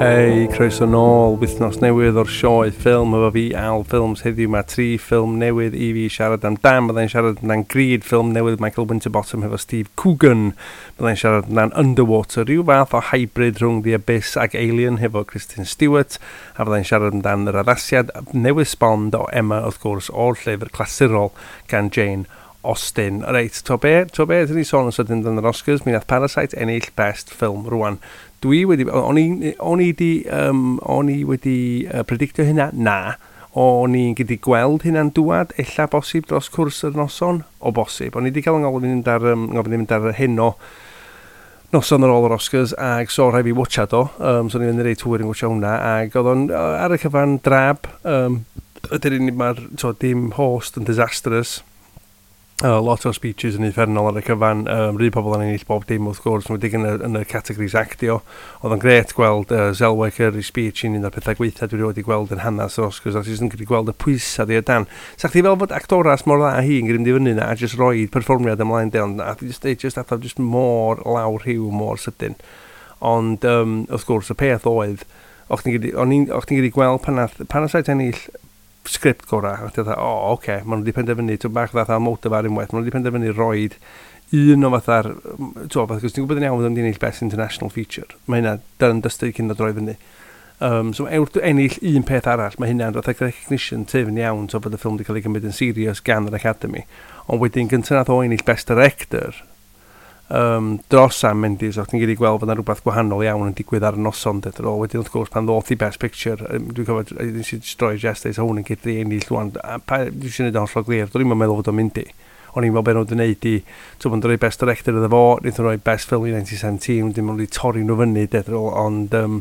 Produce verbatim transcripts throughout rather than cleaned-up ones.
Hei, croeso nôl, wythnos newydd o'r sioe ffilm efo fi, Al Films. Heddiw mae tri ffilm newydd i fi siarad amdan. Byddai'n siarad amdan Greed, ffilm newydd Michael Winterbottom hefo Steve Coogan. Byddai'n siarad amdan Underwater, rhyw fath o hybrid rhwng The Abyss ac Alien hefo Kristen Stewart. A byddai'n siarad amdan yr addasiad newydd sbon o Emma, wrth gwrs, o'r llyfr clasurol gan Jane Austen. Reit, to be, to be, dyn ni sôn yn sydyn amdan yr Oscars, mi nath Parasite ennill Best Film rwan. Dwi wedi, o'n i, o'n i di, um, o'n i wedi uh, predictio hynna? Na. O'n i'n gallu gweld hynna'n dwad, ella bosib dros cwrs yr noson? O bosib. O'n i wedi cael yng ngofyn i fynd ar, um, ngofyn i fynd ar heno noson ar ôl yr Oscars, ag so rhaid fi watchad o, um, so o'n i'n mynd reit hwyr yn watcha hwnna, ag oedd o'n uh, ar y cyfan drab, um, ydy'r unig mae'r, to, dim host yn disastrous. Uh, lot o speeches yn uffernol ar y cyfan, um, rhy pobl yn ennill bob dim wrth gwrs, yn yn y, yn y categories actio. Oedd o'n gret gweld uh, Zellweger i speech yn un o'r pethau gweitha dwi wedi gweld yn hanes yr Oscars, a ti'n gallu gweld y pwysau di o dan. Sa chdi fel fod actoras mor dda hi yn mynd i fyny na, a just roed perfformiad ymlaen de, ond a just, just, atho, just mor lawr rhyw, mor sydyn. Ond, um, wrth gwrs, y peth oedd, o'ch ti'n gallu gweld pan nath Parasite ennill sgript gorau, a ti'n dweud, o, oh, oce, okay, maen nhw wedi penderfynu, ti'n bach fatha Almodovar unwaith, maen nhw wedi penderfynu roed un o fatha'r, ti'n fatha, cos ti'n gwybod yn iawn fod yn ennill Best International Feature, mae hynna done dusted cyn o droi fyny. Um, so wrth ennill un peth arall, mae hynna'n fatha recognition tyfn iawn, so bod y ffilm wedi cael ei gymryd yn serious gan yr Academy. Ond wedyn gyntaf nath o ennill Best Director, um, dros Sam Mendes, o'ch ti'n gallu gweld bod yna rhywbeth gwahanol iawn yn digwydd ar y noson dyd ar ôl. Wedyn wrth gwrs pan ddoth i Best Picture, um, dwi'n cofio, nes i just droi Jess deud, hwn yn cydru ennill rwan, a pa, dwi eisiau gwneud o'n hollol glir, dwi'n i'n meddwl fod o'n mynd i. O'n i'n meddwl beth nhw wedi gwneud i, ti'n bod yn rhoi Best Director iddo fo, wnaethon nhw rhoi Best Film i nineteen seventeen, wedyn maen nhw wedi torri nhw fyny, dyd ar ôl, ond, um,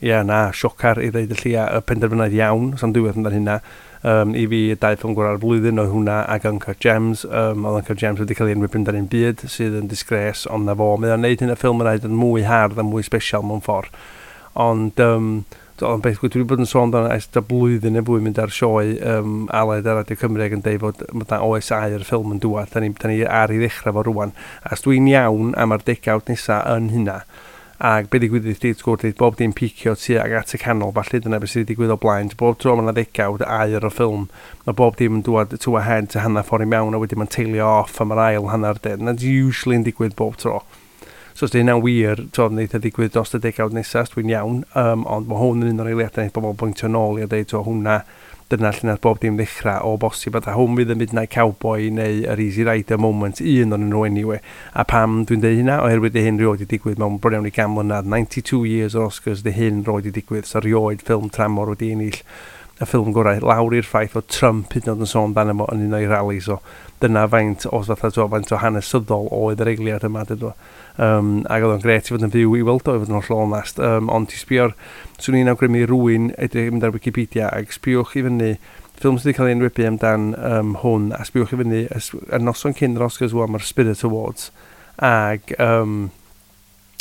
ie, yeah, na, siocar i ddeud y llia, y penderfyniad iawn, sa'n diwedd amdan hynna. Um, i fi, y dau ffilm gorau'r flwyddyn oedd hwnna ac Uncut Gems. Um, oedd Uncut Gems wedi cael ei enwi amdan un byd, sydd yn disgrace, ond na fo. Mae o'n neud hyn y ffilm yn yn mwy hardd a mwy special mewn ffordd. Ond, um, ond beth, dwi wedi bod yn sôn amdano ers y blwyddyn neu fwy mynd ar sioe um, Aled ar Radio Cymru ac yn deud fod ma' oes aur ffilm yn dŵad, da ni, da ni ar ei ddechrau fo rwan. A os dwi'n iawn am yr degawd nesa yn hynna, ac be ddigwydd i wrth gwrs, bob dim picio tuag at y canol, falle dyna beth sydd wedi digwydd o blaen. Bob tro mae yna ddegawd aur o ffilm, mae bob dim yn dŵad to a head to hanner ffordd i mewn, a wedyn mae'n tailio off am yr ail hanner de. That's usually yn digwydd bob tro. So os di hynna'n wir, to, wneith e ddigwydd dros y degawd nesaf, dwi'n iawn, um, ond mae hwn yn un o'r eiliadau wneith bobl bwyntio nôl i a deud, to, hwnna, dyna lle nath bob dim ddechrau o bosib, a hwn fydd y Midnight Cowboy neu yr Easy Rider moment, un o'n nhw anyway. A pam dwi'n deud hynna? Oherwydd di hyn rioed wedi digwydd mewn bron iawn i gan mlynedd, ninety-two years o'r Oscars di hyn roed wedi digwydd, so rioed ffilm tramor wedi ennill y ffilm gorau, lawr i'r ffaith o Trump hyd yn oed yn sôn amdano fo yn un o'i rali, so dyna faint o fatha, to, faint o hanesyddol oedd yr eiliad yma, dydw. Um, ac oedd o'n gret i fod yn fyw i weld o, i fod yn hollol onest. Um, ond ti sbio'r, swn i'n awgrymu rywun edrych mynd ar Wikipedia ac sbiwch i fyny ffilm sydd wedi cael ei enwebu amdan um, hwn, a sbiwch i fyny y, y noson cyn yr Oscars wan mae'r Spirit Awards, ac um,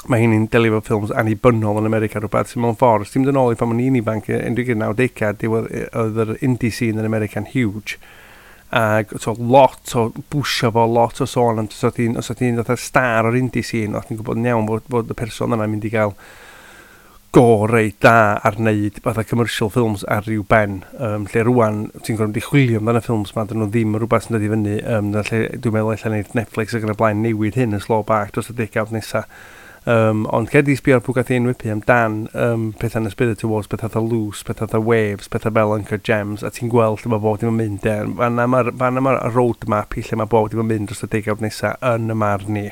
mae hyn yn delio efo ffilms annibynnol yn America rhywbeth sy'n mewn ffordd. Os ti'n mynd yn ôl i pan o'n i'n ifanc, yn y nawdegau, diwedd oedd yr indie scene yn America'n huge. Ac so, lot o bwysio fo, lot o sôn am, os oedd ti'n os oedd ti'n fatha star o'r indie scene, oedd ti'n gwybod yn iawn fod, fod y person yna'n mynd i gael go reit da ar wneud fatha commercial films ar ryw ben. Um, lle rwan, ti'n gorfod mynd i chwilio amdano y ffilms ma, dyn nhw ddim yn rhywbeth sy'n dod i fyny. Um, lle dwi'n meddwl ella wneud Netflix ac yn y blaen newid hyn yn slow bach dros y degawd nesa. Um, ond cer di sbio ar pwy gath ei enwebu amdan um, pethau yn y Spirit Awards, pethau fatha Luce, pethau fatha Waves, pethau fel Uncut Gems, a ti'n gweld lle mae bob dim yn mynd. E. Fanna mae'r fanna mae'r roadmap i lle mae bob dim yn mynd dros y degawd nesa yn y marn ni.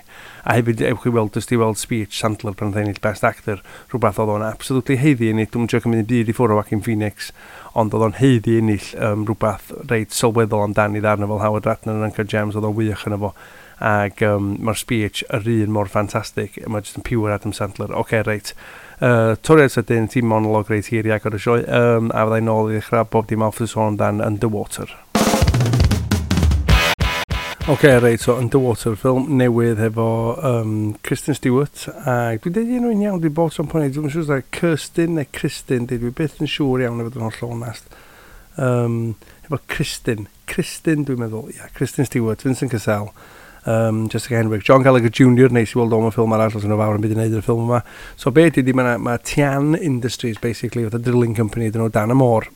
A hefyd, ewch i weld, jyst i weld speech Sandler pan oedd ennill Best Actor, rhywbeth oedd o'n absolutely haeddu ennill. Dwi'n joio cymryd byd i ffwrdd o Joaquin Phoenix, ond oedd o'n haeddu ennill um, rhywbeth reit sylweddol amdani ddarn fel Howard Ratner yn Uncut Gems, oedd o'n wych yn efo. Ac um, mae'r speech yr un mor ffantastig, mae jyst yn pure Adam Sandler. Oce, okay, reit. Uh, toriad sydyn, team monolog reit hir i agor y sioe, um, a fyddai nôl i ddechrau bob dim off y sôn amdan Underwater. Oce, okay, reit, so Underwater, ffilm newydd efo um, Kristen Stewart, ac dwi'n deud enw'n iawn, dwi'n bod tro'n poeni, dwi'n siŵr os Kirsten neu Kristen, dwi byth yn siŵr iawn i fod yn hollol onest. Um, efo Kristen, Kristen dwi'n meddwl, ia, yeah, Kristen Stewart, Vincent Cassel, Um, Jessica Henwick, John Gallagher Junior, neis i weld o'n ffilm arall, os yna fawr yn byd i wneud yn y ffilm yma. So be ydy, mae ma Tian Industries, basically, fatha drilling company, dyn nhw dan y môr.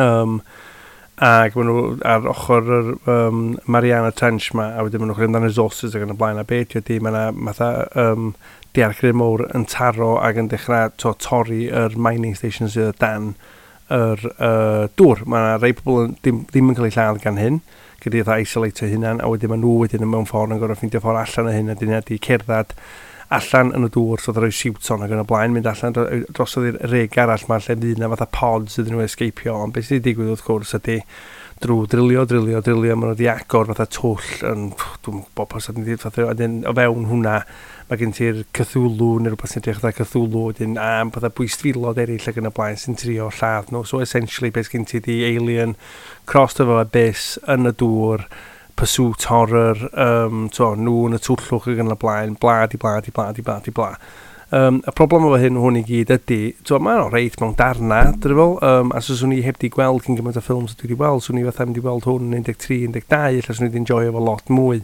um, ac maen nhw ar ochr yr um, Mariana Trench ma, a wedyn maen nhw'n chwilio amdan resources ac yn y blaen, a be ydy ydy, mae yna fatha um, daeargryn mowr yn taro ac yn dechrau to, torri yr mining station sydd o dan yr uh, dŵr. Mae yna rei pobl yn, ddim, ddim yn cael eu lladd gan hyn, gyda fatha isolate hunan, a wedyn maen nhw wedyn yn mewn ffordd yn gorfod ffeindio ffordd allan o hyn, a dyn nhw cerdded allan yn y dŵr, so rhoi siwt on ac yn y blaen, mynd allan drosodd i'r reg arall ma lle fydd yna fatha pods iddyn nhw escapio, ond beth sydd wedi digwydd wrth gwrs ydy drwy drilio, drilio, drilio, maen nhw wedi agor fatha twll yn, dwi'n gwybod pas ydyn fatha, wedyn o fewn hwnna, mae gen ti'r Cthulhu neu rhywbeth sy'n edrych fatha Cthulhu, wedyn am fatha bwystfilod eraill ac yn y blaen sy'n trio lladd nhw. So essentially beth gen ti di Alien crossed efo Abyss yn y dŵr, pursuit horror, um, to, nhw yn y twllwch ac yn y blaen, bla di bla di bla di bla di bla. Um, y problem efo hyn hwn i gyd ydy, to, mae'n reit mewn darna, dwi'n fel, um, a so swn i heb di gweld cyn gymaint o ffilms dwi wedi gweld, swn i fatha mynd i weld hwn yn un deg tri, un deg dau, ella swn i wedi enjoyo fo lot mwy.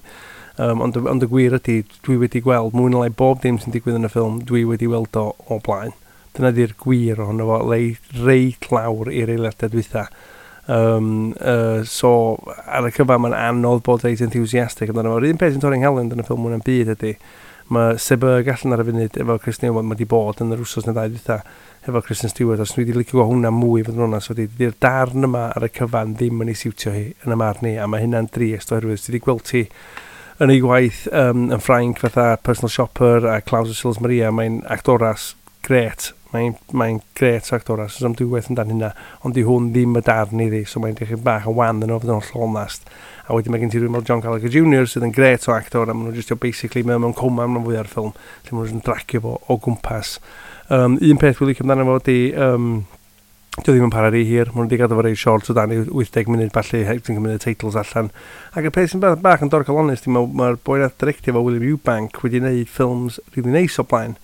Um, ond, ond y gwir ydy, dwi wedi gweld mwy na lai bob dim sy'n digwydd yn y ffilm, dwi wedi weld o o blaen. Dyna di'r gwir ohono fo, lei, reit lawr i'r eiliadau dwytha. Um, uh, so, ar y cyfan, mae'n anodd bod reit enthusiastic amdano fo. Yr un peth sy'n torri'n nghalon yn y ffilm hwn yn byd ydy, mae Seberg allan ar y funud efo Kristen Stewart, mae wedi bod yn yr wsos neu ddau dwytha efo Kristen Stewart, os dwi wedi licio gweld hwnna mwy fod yn onast, wedi di'r darn yma ar y cyfan ddim yn ei siwtio hi yn y marn i, a mae hynna'n drist oherwydd ti wedi gweld ti yn ei gwaith um, yn Ffrainc fatha Personal Shopper a Clouds of Sils Maria, mae'n actoras gret, mae'n mae gret actoras, so am dwywaith amdan hynna, ond di hwn ddim y darn iddi, so mae'n dechrau bach yn wan yn o fod yn hollol onast. A wedyn mae gen ti rhywun fel John Gallagher Junior sydd yn gret o actor, a maen nhw just basically mewn mewn coma mewn fwy ar ffilm, lle maen nhw'n dragio fo o gwmpas. Um, un peth dwi'n licio amdano fo ydi, um, dio ddim yn para rhy hir, maen nhw wedi gadw fo reit short o dan i wyth deg munud falle, ti'n cymryd y titles allan. Ac y peth sy'n bach, bach yn dorcalonnus, mae'r ma boi nath directio fo, William Eubank, wedi gwneud ffilms really neis o blaen.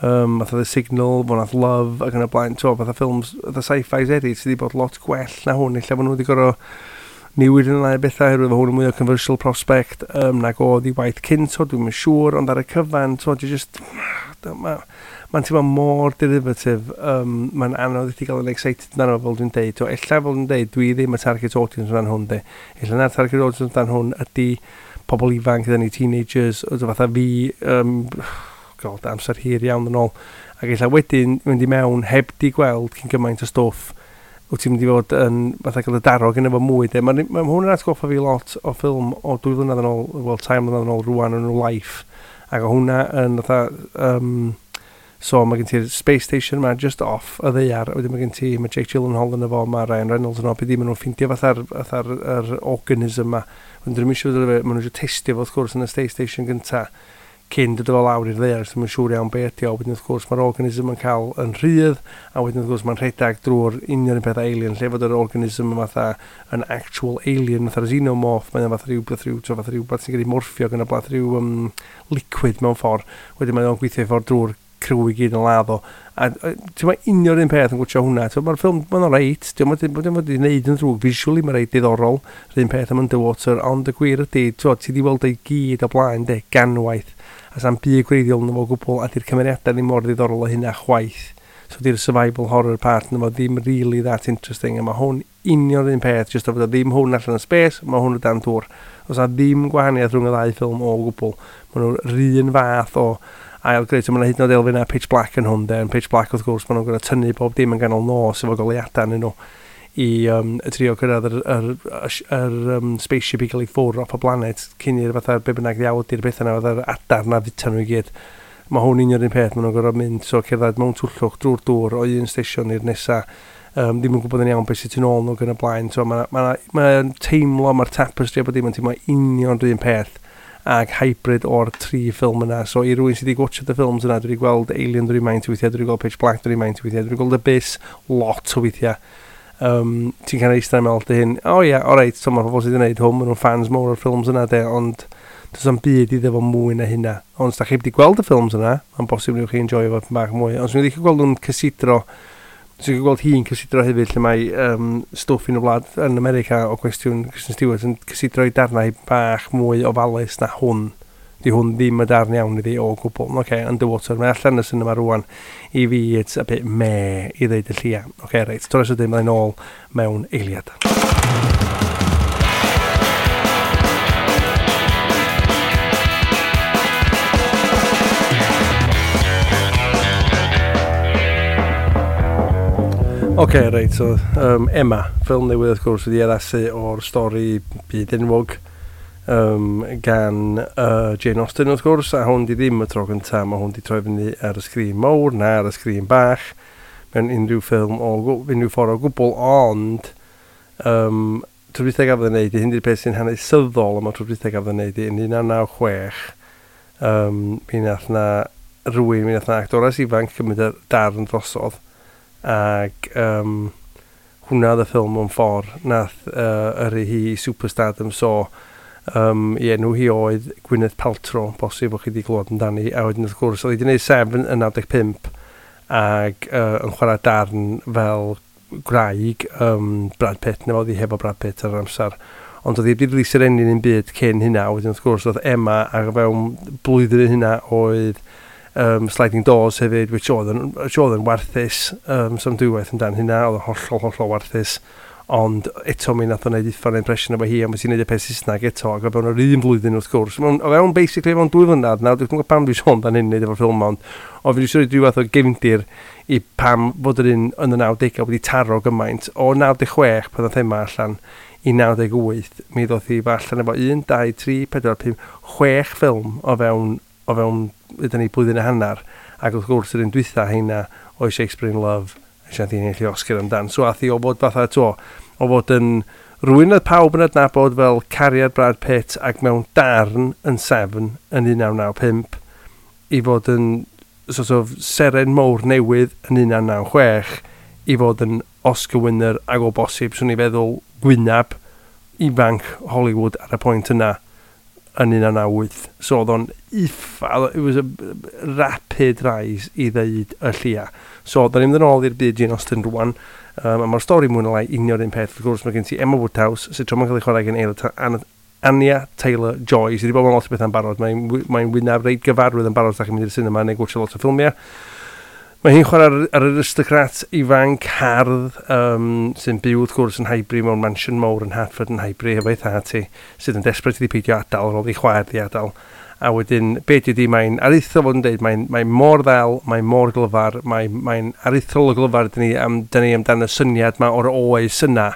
Um, fatha The Signal, fo nath Love ac yn y blaen, to, fatha ffilms, fatha sci-fi eraill sydd wedi bod lot gwell na hwn, lle maen nhw wedi gorfod newid yn ddau bethau, oherwydd hwn yn mwy o commercial prospect um, nag oedd i waith cynt, so dwi'm yn siŵr, ond ar y cyfan, to, di just, mae'n ma teimlo mor derivative, um, mae'n anodd i ti gael yn excited amdano fel dwi'n deud, to, ella fel dwi'n deud, dwi ddim y target audience amdano hwn, de. Ella na'r target audience amdano hwn ydy pobl ifanc, ydyn ni teenagers, o fatha fi, um, God, amser hir iawn yn ôl, ac ella wedyn mynd i mewn heb di gweld cyn gymaint o stwff, wyt ti'n mynd i fod yn fatha cael y daro gyda fo mwy. De. Mae ma hwn yn atgoffa fi lot o ffilm o dwy flynedd yn ôl, wel, tair mlynedd yn ôl rwan yn Life. Ac o hwnna yn fatha, um, so mae gen ti'r space station yma just off y ddaear, a wedyn mae gen ti, mae Jake Gyllenhaal yn efo, mae Ryan Reynolds yn efo, beth maen nhw'n ffeindio fatha'r fatha'r yr organism yma. Wedyn dyn nhw'n eisiau, maen nhw eisiau testio fo wrth gwrs yn y space station gynta cyn dod o lawr i'r ddaear, so mae'n siŵr iawn be ydi o. Wedyn wrth gwrs mae'r organism yn cael yn rhydd, a wedyn wrth gwrs mae'n rhedeg drwy'r union un peth alien, lle fod yr organism yn fatha yn actual alien, fatha'r xenomorph, mae'n fatha rhywbeth, rhyw, fatha rhywbeth sy'n cael ei morffio gan y blath rhyw um, liquid mewn ffordd. Wedyn mae'n gweithio i ffordd drwy'r crew i gyd yn ladd o. A ti'n ma union un peth yn gwtio hwnna. Mae'r ffilm, mae'n reit, ti'n ma wedi gwneud yn ddrwg, visually mae'n reit diddorol, yr un peth am Underwater, ond y gwir ydy, ti wedi weld ei gyd o blaen, de, ganwaith, a sa'n byd gwreiddiol yn fo gwbl, a di'r cymeriadau ddim mor ddiddorol o hynna chwaith. So di'r survival horror part yn fo ddim really that interesting, a mae hwn union un peth, just o fod o ddim hwn allan yn space, mae hwn o dan dŵr. Oes na ddim gwahaniaeth rhwng y ddau ffilm o gwbl. Maen nhw'r un fath o ail greu, so mae yna hyd yn oed elfennau Pitch Black yn hwn, de. Yn Pitch Black, wrth gwrs, maen nhw'n gorfod tynnu bob dim yn ganol nos efo goleuadau yn nhw i um, trio cyrraedd yr, yr, yr, yr um, spaceship i gael ei ffwrdd off y planet cyn i'r fatha be bynnag ddiawl ydi'r beth yna, fatha'r adar na fita nhw i gyd. Mae hwn union un peth, maen nhw'n gorfod mynd, so cerdded mewn twllwch drwy'r dŵr o un station i'r nesa, um, ddim yn gwybod yn iawn beth sydd tu nôl nhw gan y blaen. So mae'n ma, ma, ma teimlo, mae'r tapestry a bod dim yn teimlo union rhywun peth ag hybrid o'r tri ffilm yna. So i rywun sydd wedi watchad y ffilms yna, dwi wedi gweld Alien dwi'n maint weithiau, dwi wedi gweld Pitch Black dwi'n maint weithiau, dwi wedi gweld Abyss lot o weithiau. Um, ti'n cael eistedd yn meddwl dy hyn, o oh, ie, yeah, alright, so mae'r pobl sydd wedi gwneud hwn, maen nhw'n fans mawr o'r ffilms yna de, ond does am byd iddo fo mwy na hynna. Ond os da chi wedi gweld y ffilms yna, mae'n bosib newch chi enjoy fo bach mwy. Ond swn i wedi gweld nhw'n cysidro, Dwi'n gweld hi'n cysidro hefyd lle mae um, stwff yn y wlad yn America o cwestiwn Kristen Stewart yn cysidro i darnau bach mwy ofalus na hwn. Di hwn ddim y darn iawn iddi o gwbl. Oce, okay, Underwater, mae allan y cinema rwan. I fi, it's a bit meh i ddeud y llia. Oce, okay, reit, torres ydyn, mae'n ôl mewn eiliad. Oce, okay, reit, so um, Emma, ffilm newydd wrth gwrs wedi addasu o'r stori byd enwog um, gan uh, Jane Austen wrth gwrs, a hwn di ddim y tro gyntaf, mae hwn di troi fyny ar y sgrin mawr na ar y sgrin bach mewn unrhyw ffilm o unrhyw ffordd o gwbl, ond um, tro dwytha gafodd ei wneud, hyn di'r peth sy'n hanesyddol am y tro dwytha gafodd ei wneud yn un naw naw chwech, um, mi nath na rhywun, mi nath na actores ifanc cymryd y darn drosodd, ac um, hwnna oedd y ffilm mewn ffordd nath uh, yrru hi i superstardom, so um, i enw hi oedd Gwyneth Paltrow, bosib bod chi wedi clywed amdani, a wedyn wrth gwrs oedd hi wedi gwneud Seven yn naw deg pump ac uh, yn chwarae darn fel gwraig um, Brad Pitt, neu oedd hi hefo Brad Pitt ar yr amser, ond oedd hi wedi rili serennu'n un byd cyn hynna. Wedyn wrth gwrs oedd Emma, ac fewn blwyddyn hynna oedd um, Sliding Doors hefyd, which oedd yn, which oedd yn warthus, um, some dwywaith amdan hynna, oedd yn hollol, hollol warthus, ond eto mi nath o wneud uffern impression efo hi, a mae ti'n neud y peth Saesneg eto, ac o fewn yr un flwyddyn wrth gwrs, mewn, o fewn basically fewn dwy flynedd, nawr dwi'n gwybod pam dwi'n sôn dan hyn wneud efo'r ffilm, ond o fi dwi'n rhoi fath o gefndir i pam fod yr un yn y nawdegau wedi taro gymaint, o naw deg chwech pan oedd thema allan i naw deg wyth, mi ddoth hi allan efo un, dau, tri, pedwar, pump, chwech ffilm o fewn, o fewn ydyn ni blwyddyn a hanner, ac wrth gwrs yr un dwytha heina oedd Shakespeare in Love, a nath hi ennill Oscar amdan. So ath hi o fod fatha to, o fod yn rhywun oedd pawb yn adnabod fel cariad Brad Pitt ac mewn darn yn Seven yn un naw naw pump, i fod yn sort of seren mowr newydd yn un naw naw chwech, i fod yn Oscar winner ac o bosib, swn i feddwl gwynab ifanc Hollywood ar y pwynt yna yn un naw naw wyth. So oedd o'n iffa, it was a rapid rise i ddeud y llia. So da ni'n mynd yn ôl i'r byd Jane Austen rwan, um, a mae'r stori mwy na lai union un peth. Wrth gwrs mae gen ti Emma Woodhouse, sydd tro ma'n cael ei chwarae gen Anya Taylor-Joy, sydd wedi bod mewn lot o bethau'n barod. Mae'n mae wyneb reit gyfarwydd yn barod os da chi'n mynd i'r cinema neu gwatchio lot o ffilmiau. Mae hi'n chwarae ar, ar aristocrat ifanc hardd um, sy'n byw wrth gwrs yn Highbury mewn mansion mawr yn Hertford yn Highbury hefo'i thad hi, sydd yn desperate iddi peidio adael ar ôl i chwaer di adael. A wedyn, be di mae'n aruthrol fod yn deud, mae'n mae mor ddel, mae'n mor glyfar, mae'n mae aruthrol o glyfar dyn ni, am, dyn ni amdan y syniad ma o'r oes yna,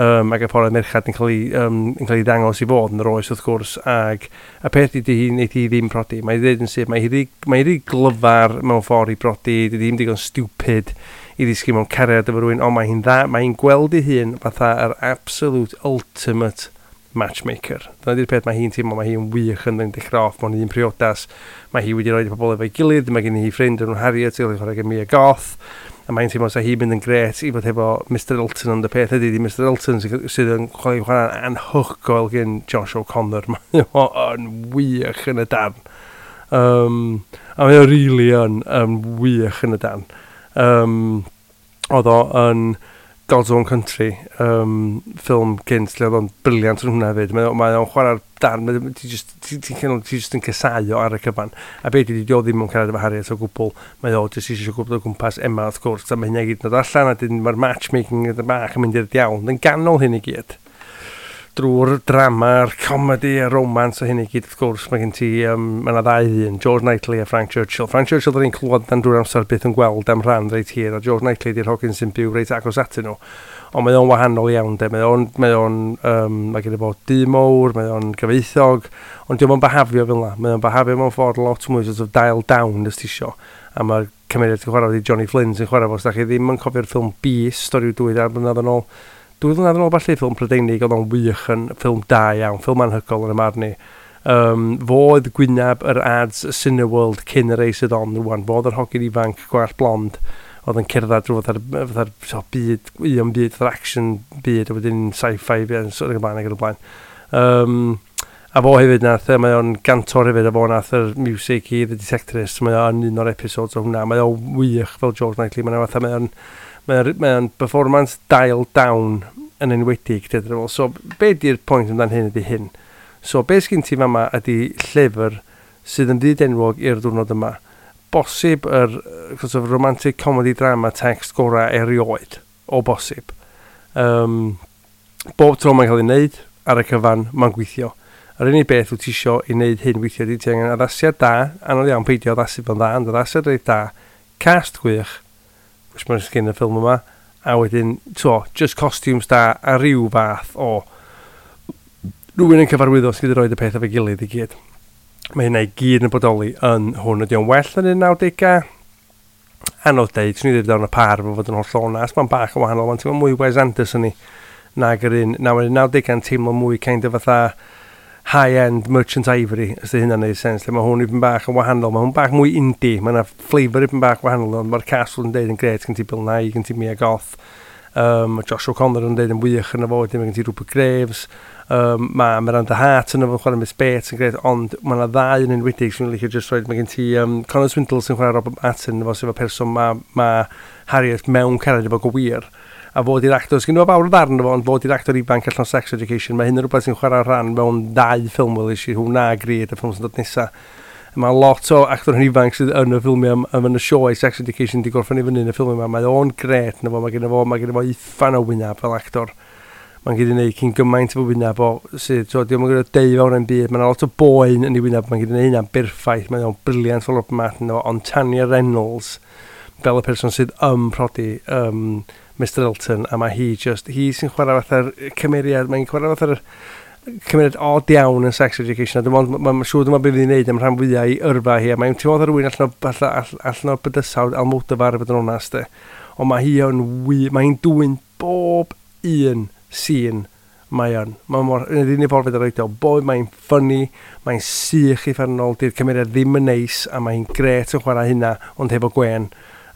um, ac y ffordd y merched yn cael ei, um, yn cael ei ddangos i fod yn yr oes wrth gwrs, ac y peth ydy hi, wneud hi ddim prodi. Mae'n dweud yn syth, mae hi mae hi glyfar mewn ffordd i brodi, dydy ddim digon stupid i ddisgyn mewn cariad efo rhywun, ond mae hi'n dda, mae hi'n gweld ei hun fatha yr absolute ultimate matchmaker. Dyna di'r peth mae hi'n teimlo, mae hi'n wych yn dechrau off mewn un priodas. Mae hi wedi rhoi pobl efo'i gilydd, mae gen hi ffrind yn Harriet, sy'n chwarae gen Mia Goth, a mae'n teimlo sa hi'n mynd yn gret i fod efo Mister Elton, ond y peth ydy, di Mister Elton sydd yn chwarae chwarae'n anhygoel gen Josh O'Connor. Mae o'n wych yn y darn. Um, a mae o really yn, yn wych yn y darn. Um, oedd o yn God's Own Country, um, ffilm gynt, lle oedd o'n brilliant yn hwnna hefyd. Mae, mae o'n chwarae'r darn, ti just, ti, ti, ti just yn casau o ar y cyfan. A be di, di o ddim yn cariad efo Harriet o gwbl. Mae o jyst eisiau gwybod o gwmpas Emma, wrth gwrs, a mae hynny i gyd yn dod allan, a dyn mae'r matchmaking yn bach yn mynd i'r diawl. Yn ganol hyn i gyd, drwy'r drama'r comedy a romance a hyn i gyd, wrth gwrs, mae gen ti, um, mae yna ddau ddyn, George Knightley a Frank Churchill. Frank Churchill, dyn ni'n clywed dan drwy'r amser byth yn gweld am rhan reit hir, a George Knightley di'r hogyn sy'n byw reit agos atyn nhw. Ond mae o'n wahanol iawn, de. Mae o'n, mae o'n, um, mae gen i fo dŷ mowr, mae o'n gyfeithog, ond dio'm yn behafio fel yna. Mae o'n behafio mewn ffordd lot mwy sort of dial down, os ti isio. A mae'r cymeriad sy'n chwarae wedi Johnny Flynn sy'n chwarae fo. Os da chi ddim yn cofio'r ffilm Beast, stori dwy dair blynedd yn ôl, dwy flynedd yn ôl falle, ffilm Prydeinig, oedd o'n wych yn ffilm da iawn, ffilm anhygoel yn y marn i. Um, fo oedd gwyneb yr ads Cineworld cyn y rei sydd on rwan. Fo oedd yr hogyn ifanc gwallt blond oedd yn cerdded drwy fatha'r fatha'r so, byd, un byd, fatha'r action byd, a wedyn sci-fi, so, ac yn blaen ac yn y blaen. Um, a fo hefyd nath, mae o'n gantor hefyd, a fo nath yr music i The Detectorist, mae o'n un o'r episodes o hwnna. Mae o'n wych fel George Knightley, mae'n fatha, mae o'n Mae'n mae performance dialed down yn enwedig. So, be di'r pwynt amdan hyn ydy hyn? So, be sgyn ti fama ydy llyfr sydd yn fyd enwog i'r diwrnod yma. Bosib yr sort of romantic comedy drama text gorau erioed. O bosib. Um, bob tro mae'n cael ei wneud, ar y cyfan, mae'n gweithio. Yr unig beth wyt ti isio i wneud hyn weithio ydy ti angen addasiad da, anodd iawn peidio addasu fo'n dda, ond addasiad reit da, cast gwych, which mae'n sgyn y ffilm yma, a wedyn, to, just costumes da, a rhyw fath o rhywun yn cyfarwyddo sydd wedi rhoi y peth efo'i gilydd i gyd. Mae hynna i gyd yn bodoli yn hwn. Ydy o'n well yn y nawdegau? Anodd deud, swn i ddweud ar y par efo fod yn holl onast, mae'n bach yn wahanol, mae'n teimlo mwy Wes Anderson i nag yr un, naw, nawdegau'n teimlo mwy kind of fatha high-end Merchant Ivory, os ydy hynna'n neud sens, lle mae hwn i bach yn wahanol, mae hwn bach mwy indie, mae yna flavour i bach wahanol, ond mae'r cast yn deud yn gret, gen ti Bill Nighy, gen ti Mia Goth, um, mae Josh O'Connor yn deud yn wych yn y fo, wedyn mae gen ti Rupert Graves, um, mae Miranda Hart yn efo chwarae Miss Bates yn gret, ond mae yna ddau yn enwedig sy'n licio just roed, mae gen ti um, Connor Swindle sy'n chwarae Robert Martin efo, sef y person mae ma Harriet mewn cariad efo go wir, a fod i'r actor, sgyn nhw fawr o ddarn efo, ond fod i'r actor ifanc allan Sex Education, mae hyn yn rhywbeth sy'n chwarae rhan mewn ddau ffilm welis i, hwnna a Greed, y ffilm sy'n dod nesaf. Mae lot o actor yn ifanc sydd yn y ffilmiau, am yn y sioe Sex Education di gorffen i fyny yn y ffilmiau yma. Mae o'n gret na fo, mae gen fo, mae gen fo uffan o wynaf fel actor. Mae'n gallu gwneud cyn gymaint o wynaf o sydd, so, diolch yn gwneud deu fawr yn byd, mae'n lot o boen yn ei wynaf, mae'n gallu gwneud hynna'n berffaith, mae o'n brilliant fel Robert Martin, ond Tanya Reynolds, fel y person sydd ym prodi um, Mister Elton, a mae hi just, hi sy'n chwarae fatha'r cymeriad, mae'n chwarae fatha'r cymeriad odd iawn yn Sex Education, a dwi'n meddwl, mae'n siŵr dyma beth fydd hi'n neud am rhan fwyaf i yrfa hi, a mae'n teimlo fatha rhywun allan o, allan, allan o'r bydysawd Almodovar i fod yn onast, de. Ond mae hi yn wy, mae hi'n dwyn bob un scene mae yn. Mae mor, yn yr unig ffordd fedra i roid o, bob mae'n funny, mae'n sych uffernol, di'r cymeriad ddim yn neis, a mae'n gret yn chwarae hynna, ond hefo gwen.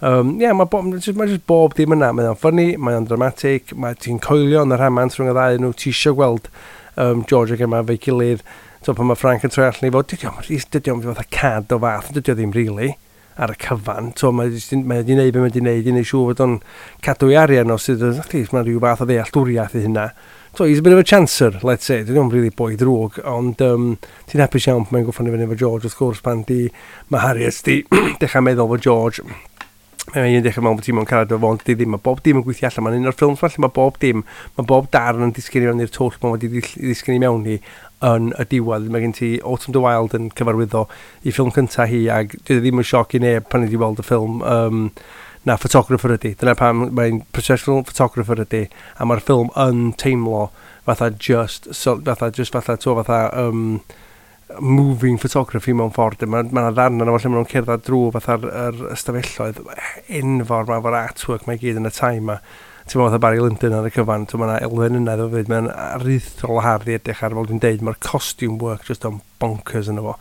Um, yeah, mae bo, just, mae just bob dim yna. Mae o'n funny, mae o'n dramatic, mae ti'n coelio yn y rhamant rhwng y ddau nhw, ti isio gweld um, George ac Emma efo'i gilydd. So pan mae Frank yn troi allan i fod, dydy o'm, dydy o'm fatha cad o fath, dydy o ddim really ar y cyfan. So mae mae wedi neud be mae wedi neud, i neud siŵr fod o'n cadw ei arian o sydd, mae rhyw fath o ddealltwriaeth i hynna. So he's a bit of a chancer, let's say. Dydy o'm really boi drwg, ond um, ti'n hapus iawn pan mae'n gorffen i fyny efo George, wrth gwrs, pan di, mae Harriet di dechrau meddwl fo George. Mae un dechrau mewn bod ti mewn cariad efo fo, ond di ddim. Mae bob dim yn gweithio allan. Mae'n un o'r ffilms falle, mae bob dim, mae bob darn yn disgyn i mewn i'r twll mae wedi ddisgyn i mewn i yn y diwedd. Mae gen ti Autumn de Wilde yn cyfarwyddo i ffilm cyntaf hi, ac dwi ddim yn sioc i neb pan wedi weld y ffilm um, na photographer ydy. Dyna pam mae'n professional photographer ydy, a mae'r ffilm yn teimlo fatha just, so, fatha, just fatha, to, fatha, um, moving photography mewn ffordd. Mae ma 'na ddarn yna lle maen nhw'n cerdded drwy fatha'r yr ystafelloedd enfawr ma efo'r artwork mae gyd yn y time ma. Ti'n meddwl fatha Barry Lyndon ar y cyfan, mae yna elfen yna iddo fyd, mae'n aruthrol o hardd i edrych ar, fel dwi'n deud, mae'r costume work just on bonkers yna fo.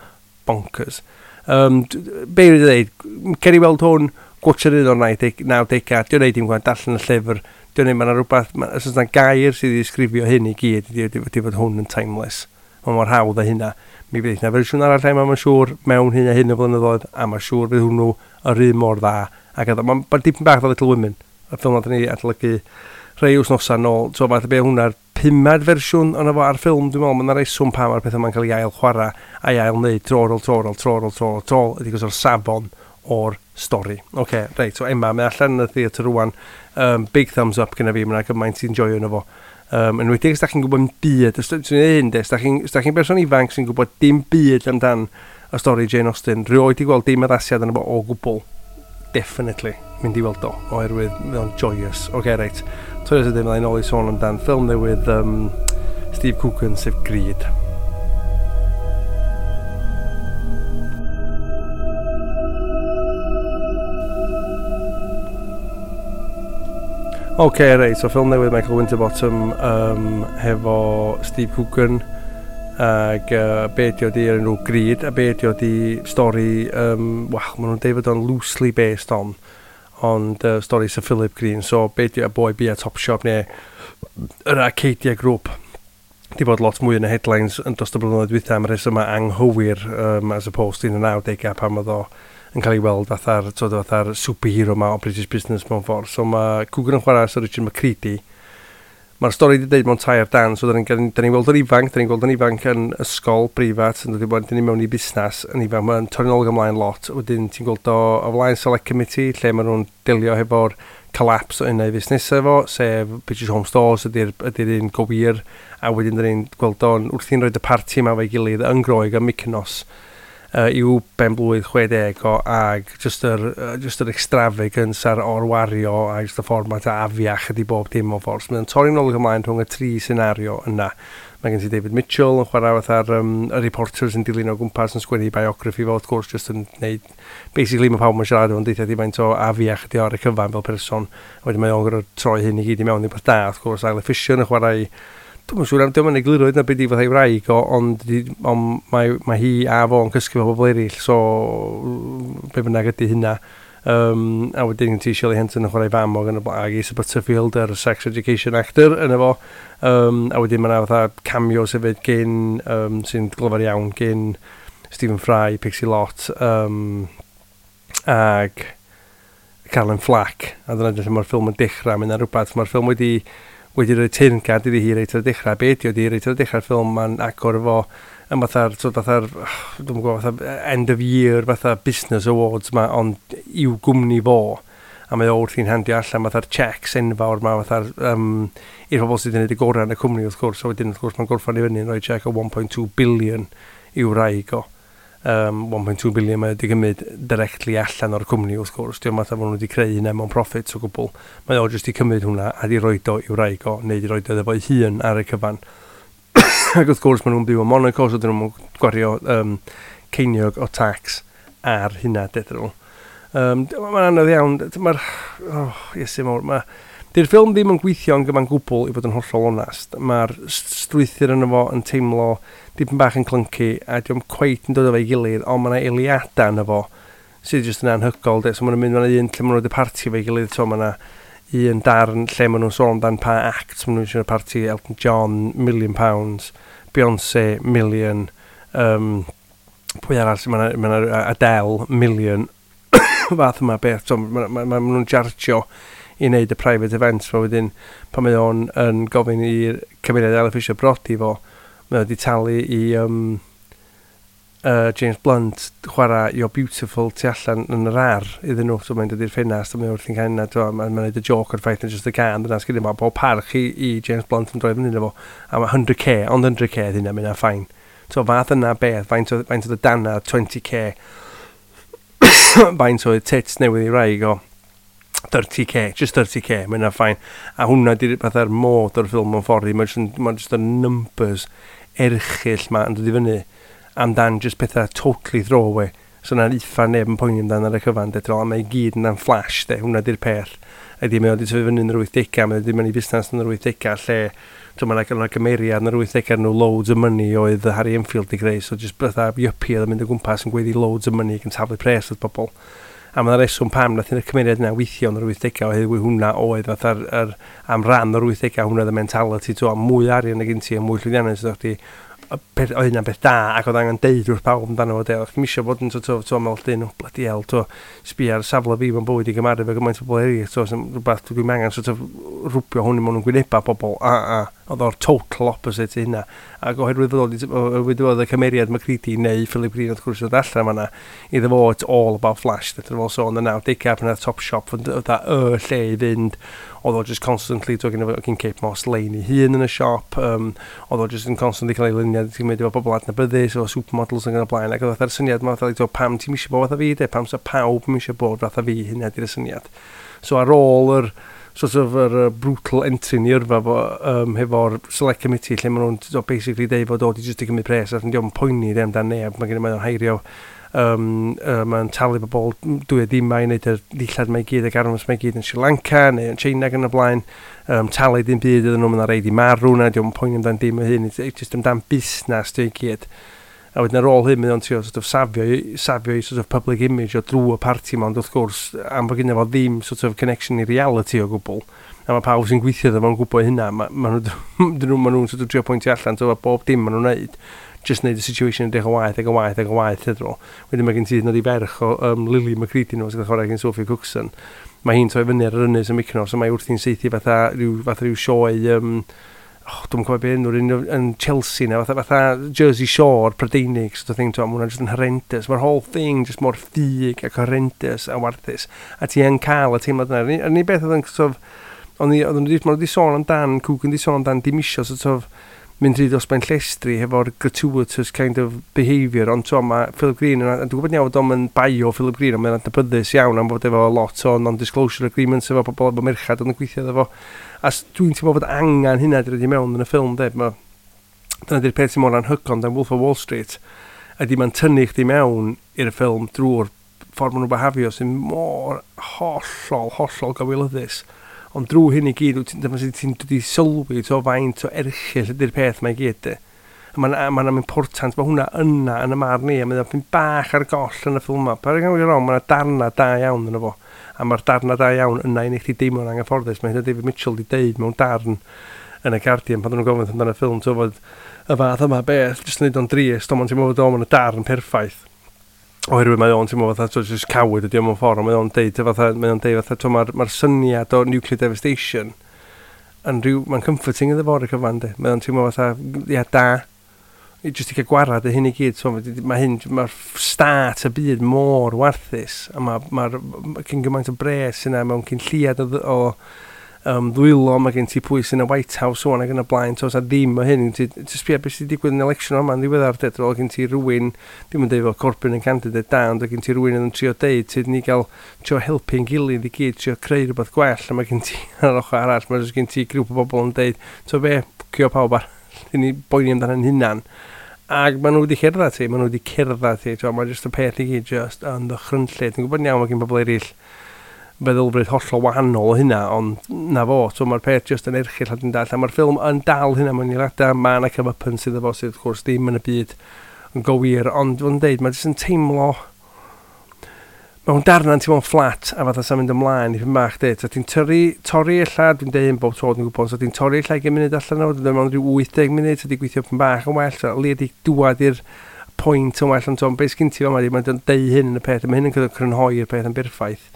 Bonkers. Um, be dwi'n dweud, cer i weld hwn, gwatcher un o'r nawdegau, dwi'n neud dim gwaith, darllen y llyfr, dwi'n neud, mae yna rhywbeth, ma, os oes yna gair sydd wedi disgrifio hyn i gyd, ydy, ydy, ydy fod hwn yn timeless. Mae mor hawdd â hynna. Mi fydd yna fersiwn arall lle mae'n siŵr mewn hyn a hyn o flynyddoedd, a mae'n siŵr fydd hwnnw yr un mor dda. Ac oedd, mae'n ma dipyn bach fel Little Women, y ffilm nath ni adolygu rhai wythnosau nôl. So fath o be hwnna'r pumed fersiwn ond efo ar ffilm, dwi'n meddwl, mae'n reswm pam mae'r pethau ma'n cael ei ail chwarae a'i ail wneud tro ar ôl tro ar ôl tro ar ôl tro ar ôl tro, ydy gos o'r safon o'r stori. Oce, okay, reit, so Emma, mae allan yn y theatr rwan, um, big thumbs up gyda fi, mae'n gymaint sy'n joio yno fo. Um, yn enwedig os da chi'n gwybod byd, os dwi'n hyn, os da chi'n chi berson ifanc sy'n gwybod dim byd amdan y stori Jane Austen, rioed i gweld dim addasiad yna fo o gwbl, definitely mynd i weld o, oherwydd mae o'n joyous. Oce, okay, reit, toes ydym, byddai'n ôl i sôn amdan ffilm newydd um, Steve Coogan, sef Greed. Oce, okay, reit, so ffilm newydd Michael Winterbottom um, hefo Steve Coogan ag uh, be ydi o di yr enw Greed, a be ydi o di stori, um, wel, maen nhw'n deud fod o'n loosely based on, ond uh, stori Sir Philip Green, so be ydi o boi bia Topshop neu yr Arcadia Group di bod lot mwy yn y headlines yn dros y blynyddoedd dwytha am y rhesymau anghywir um, as opposed to yn y nawdegau pan oedd o yn cael ei weld fatha'r, twod, fatha'r superhero ma o British business mewn ffordd. So mae Coogan yn chwarae Sir Richard McCready. Mae'r stori wedi deud mewn tair dan, so da ni'n ni weld yn ifanc, da ni'n gweld yn ifanc yn ysgol breifat, yn dod i bod yn mewn i busnes yn ifanc, mae'n torri'n ôl ymlaen lot. Wedyn ti'n gweld o o flaen Select Committee, lle maen nhw'n delio hefo'r collapse o un o'i fusnesau fo, sef British Home Stores ydy'r ydy un gywir, a wedyn da ni'n gweld o'n wrthi'n rhoi y parti yma efo'i gilydd yn Groeg yn Mykonos, uh, i'w ben blwydd chwe deg o, ag just yr, uh, just yr extravagance a'r orwario a just y ffordd mae'n afiach ydi bob dim o ffordd. So mae'n torri'n ôl ymlaen rhwng y tri senario yna. Mae gen ti David Mitchell yn chwarae fatha'r um, y reporters yn dilyn o gwmpas yn sgwennu biography fo, wrth gwrs, just yn neud. Basically, mae pawb yn siarad efo'n deithio di faint o afiach ydi o ar y cyfan fel person. A wedyn mae o'n gorfod troi hyn i gyd i mewn i beth da, wrth gwrs. Isla Fisher yn chwarae. Dwi'm yn siŵr am diolch yn egluro hyd na beth i fatha ei wraig o, ond, di- ond mae, mae hi a fo yn cysgu efo bobl eraill, so be bynnag ydy hynna. Um, a wedyn ti Shirley Henson yn chwarae fam o gan y ag Asa Butterfield, yr sex education actor yn efo. Um, a wedyn mae yna fatha cameos hefyd gyn, um, sy'n glyfar iawn, gyn Stephen Fry, Pixie Lott, um, ag Carolyn Flack. A dyna lle mae'r ffilm yn dechrau. Mae'n rhywbeth, mae'r ffilm wedi wedi rhoi teyrngad iddi hi reit ar y dechrau. Be ydi o di reit ar y dechrau'r ffilm, mae'n agor efo yn fatha'r, so fatha'r, dwi'm yn gwybod, fatha end of year, fatha business awards ma, ond i'w gwmni fo. A mae o wrthi'n handio allan fatha'r checks enfawr ma, fatha'r, um, i'r pobl sydd wedi gwneud y gorau yn y cwmni, wrth gwrs. A wedyn, wrth gwrs, mae'n gorffan i fyny yn rhoi check o un pwynt dau billion i'w wraig o. Um, un pwynt dau billion mae wedi gymryd directly allan o'r cwmni, wrth gwrs. Diolch fatha fod nhw wedi creu hynna mewn profits o gwbl. Mae o jyst i cymryd hwnna a di roed o i'w wraig o, neu di roed o efo'i hun ar y cyfan. Ac wrth gwrs maen nhw'n byw yn Monaco, so dyn nhw'n gwario um, ceiniog o tax ar hynna, dydyn nhw. Um, mae'n anodd iawn, mae'r... Oh, Iesu mawr, mae... Di'r ffilm ddim yn gweithio yn gyfan gwbl, i fod yn hollol onast. Mae'r strwythur yno fo yn teimlo dipyn bach yn clunky a diolch cweit yn dod o fe'i gilydd, ond mae yna eiliadau yno fo sydd jyst yn anhygoel. De. So maen nhw'n mynd, mae yna un lle maen nhw'n y parti efo'i gilydd, so mae yna un darn lle maen nhw'n sôn amdan pa act maen nhw'n eisiau parti. Elton John, million pounds, Beyoncé, million, um, pwy arall, mae yna ma Adele, million, fath yma beth. So ma, ma, ma, ma nhw'n chargio i wneud y private events, ma wedyn pan mae o'n yn gofyn i'r cymeriad Isla Fisher brodi fo, mae o wedi talu i um, uh, James Blunt chwarae "You're Beautiful" tu allan yn yr ar iddyn nhw, so mae'n dod i'r ffenast a mae wrthi'n cael yna, mae'n ma neud y joke o'r ffaith yn just y can, dyna sgyn i, pob parch i, i James Blunt yn droi fyny iddo fo, a mae cant k, ond cant k ydy hynna, mae'n fine. So fath yna beth, faint oedd faint oedd y dana twenty k, faint oedd tits newydd i wraig o, thirty k, just thirty k, mae'n fine. A hwnna di'r fatha'r mod o'r ffilm mewn ffordd i, mae'n just, ma just y numbers erchyll ma yn dod i fyny amdan just pethau totally throwaway. So na'n uffa neb yn poeni amdan ar y cyfan, de, a mae i gyd yn flash, de, hwnna di'r peth. Ydy, mae o wedi tyfu fyny yn yr wythdegau, mae o wedi mynd i busnes yn yr wythdegau, lle so mae'n yna gymeriad yn yr wythdegau nhw Loads of Money oedd Harry Enfield i greu, so just fatha yuppie oedd yn mynd o gwmpas yn gweiddi "loads of money" ac yn taflu pres at bobl. A mae'n reswm pam nath y cymeriad yna weithio yn yr wythdegau, oherwydd hwnna oedd fatha'r yr, am ran o'r wythdegau, hwnna oedd y mentality, to, mwy arian ag gen ti a mwy llwyddiannus ydych chdi, y peth, oedd hynna'n beth da, ac oedd angen deud wrth pawb amdano fo, de. Oedd chdi'm isio bod yn sort of, to, meddwl dyn, oh, bloody hell, to, sbio ar safle fi mewn bywyd i gymaru fe gymaint o bobl eraill, to, sy'n rhywbeth dwi'n angen sort of rwbio hwn i mewn yn gwyneba bobl, a, a, oedd o'r total opposite i hynna. Ac oherwydd fod oherwydd fod y cymeriad McCready neu Philip Green wrth gwrs oedd allan fanna, iddo fo it's all about flash, dydyn fo. So yn y nawdegau pan oedd Topshop, oedd y lle i fynd, oedd o just constantly, to, gen gen Kate Moss lein i hun yn y siop, um, oedd o just yn constantly cael ei luniau, ti'n mynd efo bobl adnabyddus, o supermodels yn y blaen, ac oedd fatha'r syniad ma, fatha, pam ti'n eisiau bod fatha fi, de, pam sa pawb yn eisiau bod fatha fi, hynna di'r syniad. So ar ôl yr sort of yr uh, brutal entry yn i yrfa fo, um, hefo'r select committee lle maen nhw'n so basically deud fod o di just i gymryd pres a diolch yn poeni ddim amdan neb, mae gen i mae'n heirio um, uh, mae'n talu bobl dwy a dim i wneud y ddillad mae i gyd ac arms mae i gyd yn Sri Lanka neu yn China ac yn y blaen, um, talu dim byd iddyn nhw, mae'n rhaid i marw na, diolch yn poeni amdan dim o hyn, it's just amdan busnes di i gyd. A wedyn ar ôl hyn, mae o'n trio sort of safio, safio i sort of public image o drwy y parti ma, ond wrth gwrs, am fod gynno fo ddim sort of connection i reality o gwbl, a mae pawb sy'n gweithio iddo fo'n gwybod hynna, ma, ma nhw, dyn nhw, ma nhw'n sort of trio pwyntio allan, so bob dim maen nhw'n neud, Just neud y situation yn edrych yn waeth ac yn waeth ac yn waeth iddyn nhw. Wedyn mae gen ti hyd yn oed i ferch o um, Lily McCready nhw sy'n cael chwarae gen Sophie Cookson. Mae hi'n troi fyny ar yr ynys yn Mykonos, so mae wrthi'n seithi fatha rhyw, fatha rhyw sioe, um, oh, dwi'n cofio be enw'r un yn Chelsea na, fatha, fatha Jersey Shore Prydeinig, sort of thing, ti'n, ma' hwnna'n just yn horrendous. Mae'r whole thing just mor ffug ac horrendous a warthus. A ti yn cael y teimlad yna. Yr unig beth oedd yn sort of, o'n i, oedden nhw wedi, ma' nhw wedi sôn amdan, Coogan wedi sôn amdan dim isio sort of mynd rhy dros ben llestri hefo'r gratuitous kind of behaviour, ond to, mae Philip Green, yn, a dwi'n gwybod iawn bod o'n bio Philip Green, ond mae'n adnabyddus iawn am fod efo lot o non-disclosure agreements efo pobl efo merched oedd yn gweithio efo. A s- dwi'n teimlo fod angen hynna di roid i mewn yn y ffilm, de. Ma, dyna di'r peth sy'n mor anhygoel dan Wolf of Wall Street, ydy mae'n tynnu chdi mewn i'r ffilm drwy'r ffordd maen nhw'n behafio sy'n mor hollol, hollol gywilyddus. Ond drwy hyn i gyd, wyt ti'n dyma sut ti'n dod i sylwi to faint o erchyll ydy'r peth mae i gyd, de. A mae'n ma important, mae hwnna yna yn y marn ni, a mae'n pyn bach ar goll yn y ffilm yma. Paid â wrong, mae'n darna da iawn yn fo. A mae'r darna da iawn yna i wneud chdi deimlo'n anghyfforddus. Mae hynny David Mitchell wedi deud mewn darn yn y Guardian pan oedden nhw'n gofyn amdano y ffilm, ti'n fod y fath yma beth, jyst yn neud o'n drist, ond mae'n teimlo fod o'n y darn perffaith. Oherwydd mae o'n teimlo fatha, so, just coward ydi o mewn ffordd, ond mae o'n deud, fatha, mae o'n deud fatha, t'mo, mae'r ma syniad o nuclear devastation yn rhyw, mae'n comforting iddo fo ar y cyfan, de. Mae o'n teimlo fatha, ia, da, i jyst i cael gwarad y hyn i gyd, so, mae hyn, mae'r start y byd mor warthus, a mae'r ma, ma cyn gymaint o bres yna mewn cyn lliad o, o um, ddwylo, mae gen ti pwy sy'n y White House o'n ac yn y blaen, so, a ddim o hyn, ti, ti sbio beth sydd wedi digwydd yn election yma yn ddiweddar, de, drol gen ti rhywun, ddim yn deud fel Corbyn yn candidate da, ond gen ti rhywun yn trio deud, ti ni gael trio helpu'n gilydd i gyd, trio creu rhywbeth gwell, a mae gen ti ar yr ochr arall, mae gen ti grŵp o bobl yn deud, to be, ffwcio pawb ar, ni boeni amdano'n hunan. Ac maen nhw wedi cerdded ti, maen nhw wedi cerdded ti, mae jyst y peth i gyd just yn ddychrynllyd. Dwi'n gwybod iawn mae gen bobl eraill feddylfryd hollol wahanol o hynna, ond na fo, so mae'r peth just yn erchyll a dwi'n dall. A mae'r ffilm yn dal hynna mewn eiliadau, mae yna comeuppance sydd efo sydd wrth gwrs ddim yn y byd yn gywir, ond fo'n deud, mae jyst yn teimlo mewn darna'n teimlo'n fflat a fatha sa'n mynd ymlaen i ffyn bach, de. So ti'n torri, torri ella, dwi'n deud bob tro dwi'n gwybod, so ti'n torri ella ugain munud allan o, dwi'n deud mewn rhyw wyth deg munud, so di gweithio pyn bach yn well, so li di dwad i'r pwynt yn well, ond so, beth sgyn ti fel yma, mae'n deud hyn yn y peth, a mae hyn yn crynhoi'r peth yn berffaith,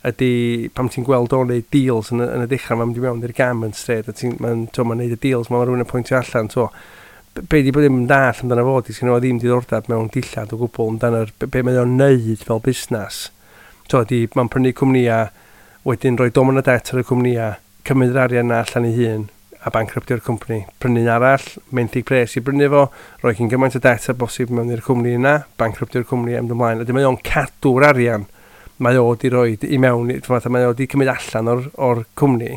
ydy pam ti'n gweld o'n neud deals yn y, yn y dechrau, mae'n mynd i mewn i'r garment trade, a ti'n, mae'n, mae'n neud y deals, mae'n rhywun yn pwyntio allan, to, be di bod ddim yn dall amdano fo, di sgynno fo ddim diddordeb mewn dillad o gwbl amdano'r be, be mae o'n neud fel busnes. To, di, mae'n prynu cwmnïa, wedyn rhoi domon o det ar y cwmnïa, cymryd yr arian na allan ei hun, a bankruptio'r cwmni. Prynu arall, menthyg pres i brynu fo, rhoi cyn gymaint o det a bosib mewn i'r cwmni yna, bankruptio'r cwmni am ymlaen. Ydy mae o'n cadw'r arian mae o di roi i mewn, fatha mae o di cymryd allan o'r, or cwmni,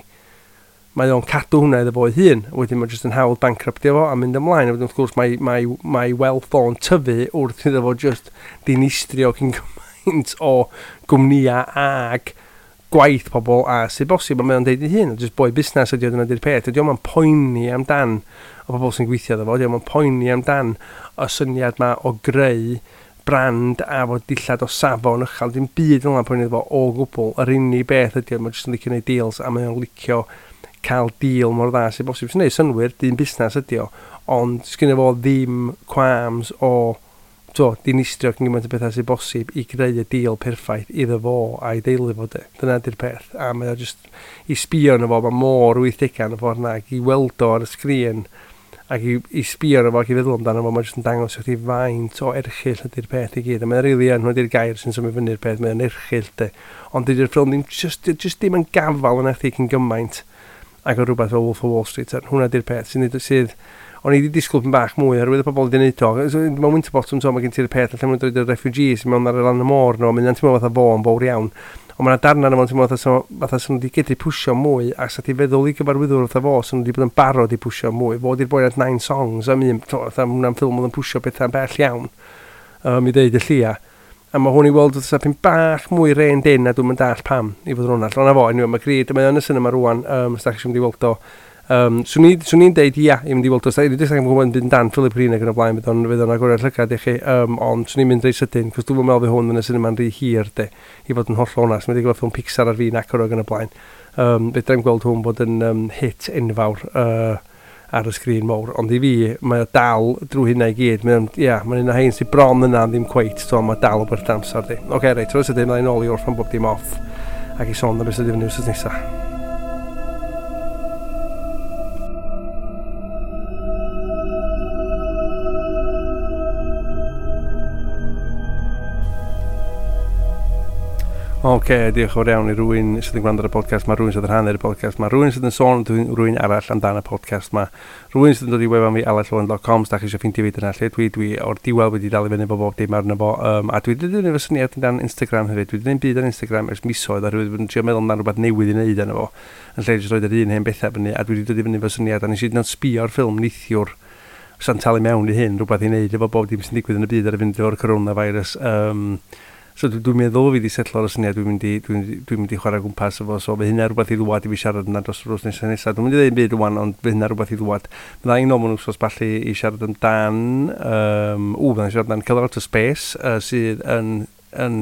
mae o'n cadw hwnna iddo fo ei hun. Wedyn mae jyst yn hawdd bankruptio fo a mynd ymlaen. A wedyn wrth gwrs mae, mae, mae wealth o'n tyfu wrth iddo fo just dinistrio cyn gymaint o gwmnïau ag gwaith pobl a sydd bosib, a mae o'n deud ei hun, just boi busnes ydy o, dyna di'r peth. Ydy o'n poeni amdan o bobl sy'n gweithio iddo fo, ydy o'n poeni amdan y syniad ma o greu brand a fod dillad o safon uchel, dim byd fel yna'n poeni iddo fo o gwbl. Yr unig beth ydy o, mae'n jyst yn licio gwneud deals a mae o'n licio cael deal mor dda sydd bosib. Sy'n neud synnwyr, dyn busnes ydy o, ond sgynno fo ddim qualms o to, dinistrio cyn gymaint o bethau sydd bosib i greu y deal perffaith iddo fo a'i deulu fo, de. Dyna di'r peth. A mae o just i sbio arno fo, mae mor wythdegau yn y ffordd na, ac i weld o ar y sgrin, ac i, i sbio arno fo ac i feddwl amdano fo, mae jyst yn dangos i chdi faint o erchyll ydy'r peth i gyd. A mae'n rili yn, hwnna di'r gair sy'n symud fyny'r peth, mae'n erchyll, de. Ond dydy'r ffilm ddim, just, just ddim yn gafal yn chdi cyn gymaint ac o rhywbeth fel Wolf of Wall Street. Hwnna di'r peth sy'n sydd o'n i wedi disgwyl pyn bach mwy oherwydd y pobl wedi gwneud o. So, mewn Winterbottom, so, mae gen ti'r peth, lle maen nhw'n dod y refugees mewn ar y lan y môr nhw, mae'n teimlo fatha fo yn fawr iawn. Ond mae'n darna yna, mae'n teimlo fatha, so, fatha sy'n nhw wedi gedru pwsio mwy, a sa ti feddwl i gyfarwyddwr fatha fo, sy'n nhw wedi bod yn barod i pwsio mwy. Fo di'r boi at Nine Songs, am un, to, fatha hwnna'n ffilm oedd yn pwsio bethau'n bell iawn, um, i ddeud y llia. A mae hwn i weld fatha pyn bach mwy reined in, a dwi'n mynd dall pam, i fod yn onast. Ond na fo, anyway, mae Greed, mae yn y cinema rwan, um, os da chi eisiau mynd i weld o. Um, swn i'n deud ia i mynd i weld o. Dwi'n dweud yn gwybod yn dan Philip Green ac yn y blaen, bydd o'n fydd o'n agoriad llygad i chi, um, ond swn i'n mynd reit sydyn, cos dwi'n meddwl fydd hwn yn y cinema'n rhy hir, de, i fod yn hollol onast. Mae wedi gweld ffilm Pixar ar fin acor ac yn y blaen. Um, Fedrai'm gweld hwn bod yn um, hit enfawr uh, ar y sgrin mawr, ond i fi, mae o dal drwy hynna i gyd. Mae'n, ia, mae'n un o hein sy'n bron yna, ddim cweit, so mae dal o bert amser di. Oce, okay, reit, rwy'n sydyn, mae'n ôl i orffan bob dim off, ac i sôn am beth sydd i fyny wrth nesaf. Oce, okay, diolch yn fawr iawn i rywun sydd yn gwrando ar y podcast ma, rhywun sydd yn rhannu'r podcast ma, rhywun sydd yn sôn rhywun arall amdan y podcast ma, rhywun sydd yn dod i wefan fi aled dot com, os da chi eisiau ffeindio fi dyna lle dwi, dwi o'r diwedd wedi dal i fyny efo bob dim arno fo, um, a dwi wedi dod efo syniad amdan Instagram hefyd, dwi wedi gwneud byd ar Instagram ers misoedd, a rhywun wedi trio meddwl amdan rhywbeth newydd i wneud arno fo, yn lle jyst roed yr un hen bethau fyny, a dwi wedi dod i fyny efo syniad, a nes i hyd yn oed sbio ar ffilm neithiwr, sa'n talu mewn i hyn, rhywbeth i wneud efo bob dim sy'n digwydd yn y byd ar y fynd efo'r coronavirus. Um, So dwi'n dwi meddwl fi wedi setlo ar y syniad, dwi'n mynd i, dwi'n dwi mynd i chwarae gwmpas efo, so fe hynna rhywbeth i ddwad i fi siarad yna dros yr wrth nesaf nesaf. Dwi'n mynd i ddeud byd rwan, ond fe hynna rhywbeth i ddwad. Fydda i'n ôl mewn wsos ballu i siarad amdan, um, ww, fydda i'n siarad amdan Killer Out of Space, uh, sydd yn, yn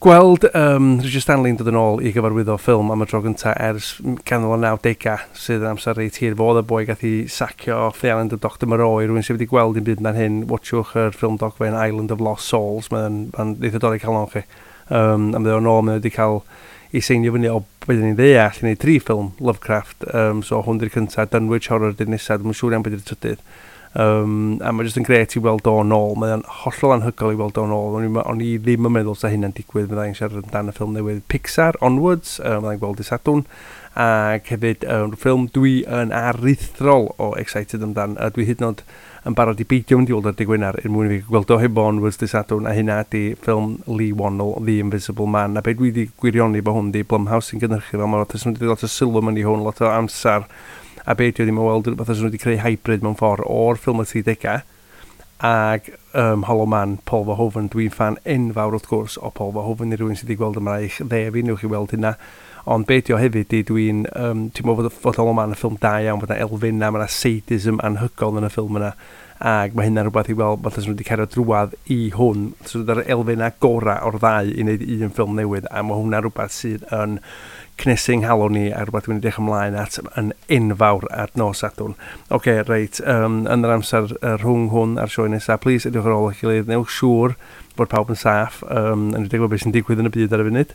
gweld um, Richard Stanley'n dod yn ôl i gyfarwyddo ffilm am y tro gyntaf ers canol y nawdegau, sydd yn amser reit hir. Fo oedd y boi gath i sacio off The Island of Doctor Moreau, i rhywun sydd wedi gweld un byd na'n hyn, watchwch yr ffilm dogfen Island of Lost Souls, mae'n ma eitha dorri calon chi. Um, a mae o'n ôl, mae wedi cael ei seinio fyny o beth ni'n ddeall i wneud tri ffilm Lovecraft, um, so hwn di'r cyntaf, Dunwich Horror di'r nesaf, dwi'n siŵr iawn beth di'r trydydd. Um, a mae jyst yn gret i weld o'n ôl, mae'n hollol anhygoel i weld o'n ôl. O'n i, o'n i ddim yn meddwl sa hynna'n digwydd, fyddai'n siarad amdan y ffilm newydd Pixar, Onwards, um, fyddai'n gweld i Sadwrn, ac hefyd um, ffilm dwi yn aruthrol o excited amdan, a dwi hyd yn oed yn barod i beidio mynd i weld ar dydd Gwener er mwyn i fi gweld o hefo Onwards dydd Sadwrn, a hynna ydi ffilm Lee Wannell, The Invisible Man, a be dwi wedi gwirioni fo hwn di Blumhouse sy'n gynhyrchu fel, mae lot, lot o sylw mewn i hwn, lot o amser, a be dwi ddim yn weld rhywbeth os nhw wedi creu hybrid mewn ffordd o'r ffilm y tridegau ac um, Hollow Man, Paul Verhoeven. Dwi'n fan enfawr wrth gwrs o Paul Verhoeven, i rhywun sydd wedi gweld yma eich dde fi, newch chi weld hynna. Ond be di o hefyd di, dwi'n um, ti'n meddwl fod, fod Hollow Man yn ffilm da iawn, bod yna elfenna, mae yna sadism anhygoel yn y ffilm yna, ac mae hynna'n rhywbeth i weld, fatha nhw wedi cario drwadd i hwn, so yr elfenna gorau o'r ddau i wneud un ffilm newydd, a mae hwnna'n rhywbeth sydd yn cnesu nghalon ni a rhywbeth dwi'n edrych ymlaen at yn enfawr at nos Sadwrn. Oce, okay, reit, um, yn yr amser uh, rhwng hwn a'r sioe nesaf, please edrych ar ôl eich gilydd, newch siŵr bod pawb yn saff, um, yn edrych beth sy'n digwydd yn y byd ar y funud.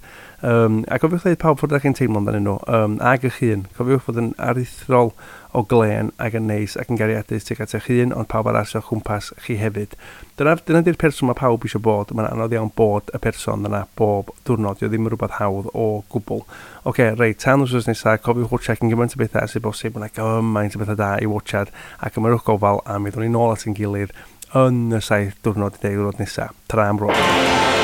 Um, a cofiwch dweud pawb ffordd ydych chi'n teimlo amdanyn nhw, um, ag eich hun. Cofiwch fod yn aruthrol o glên ac yn neis ac yn gariadus tuag at eich hun, ond pawb arall o'ch cwmpas chi hefyd. Dyna, dyna di'r person mae pawb eisiau bod. Mae'n anodd iawn bod y person yna bob diwrnod. Dio ddim yn rhywbeth hawdd o gwbl. Oce, okay, reit, tan wrth nesaf, cofiwch watchad yn gymaint o bethau sydd bosib. Mae'n gymaint o bethau da i watchad ac ymyrwch gofal a mi ddwn ni nôl at ein gilydd yn y saith diwrnod i deg diwrnod nesaf. Tra am rôl.